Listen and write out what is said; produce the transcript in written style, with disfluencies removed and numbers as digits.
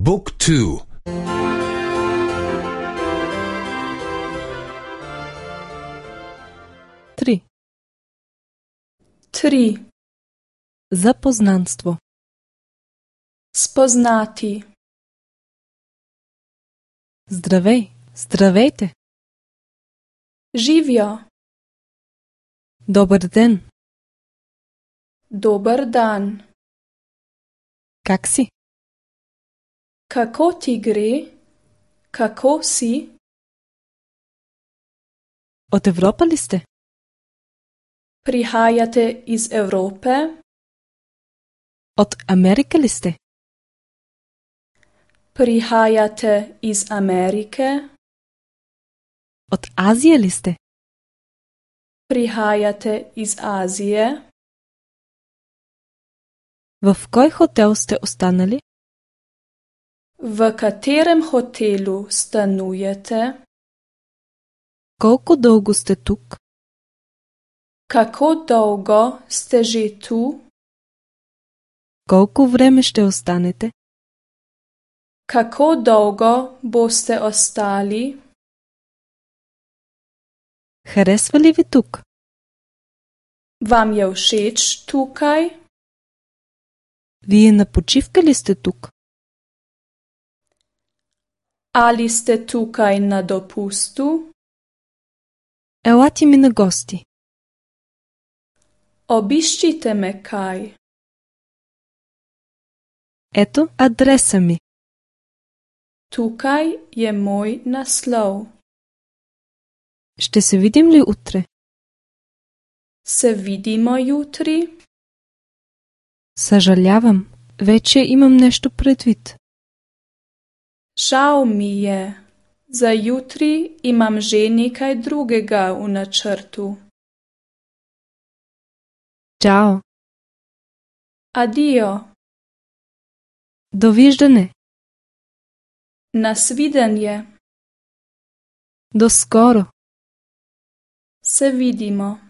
บุ๊กทูTri. Zapoznanstvo. Spoznati. Здравей, здравейте. Živjo. Добър ден. Dober dan. Как си? Kako ti gre? Kako si? От Европа ли сте? Prihajate iz Evrope? От Америка ли сте? Prihajate iz Amerike? От Азия ли сте? Prihajate iz Azije? В кой хотел сте останали? V katerem hotelu stanujete? Колко дълго сте тук? Kako dolgo ste že tu? Колко време ще останете? Kako dolgo boste ostali? Харесва ли ви тук? Vam je všeč tukaj? Вие на почивка ли сте тук? Ali ste tukaj na dopustu? Елате ми на гости. Obiščite me kaj. Ето адреса ми. Tukaj je moj naslov. Ще се видим ли утре? Se vidimo jutri? Съжалявам, вече имам нещо предвид. Žal mi je. Za jutri imam že nekaj drugega v načrtu. Чао. Adijo. Довиждане. Nasvidenje. До скоро. Se vidimo.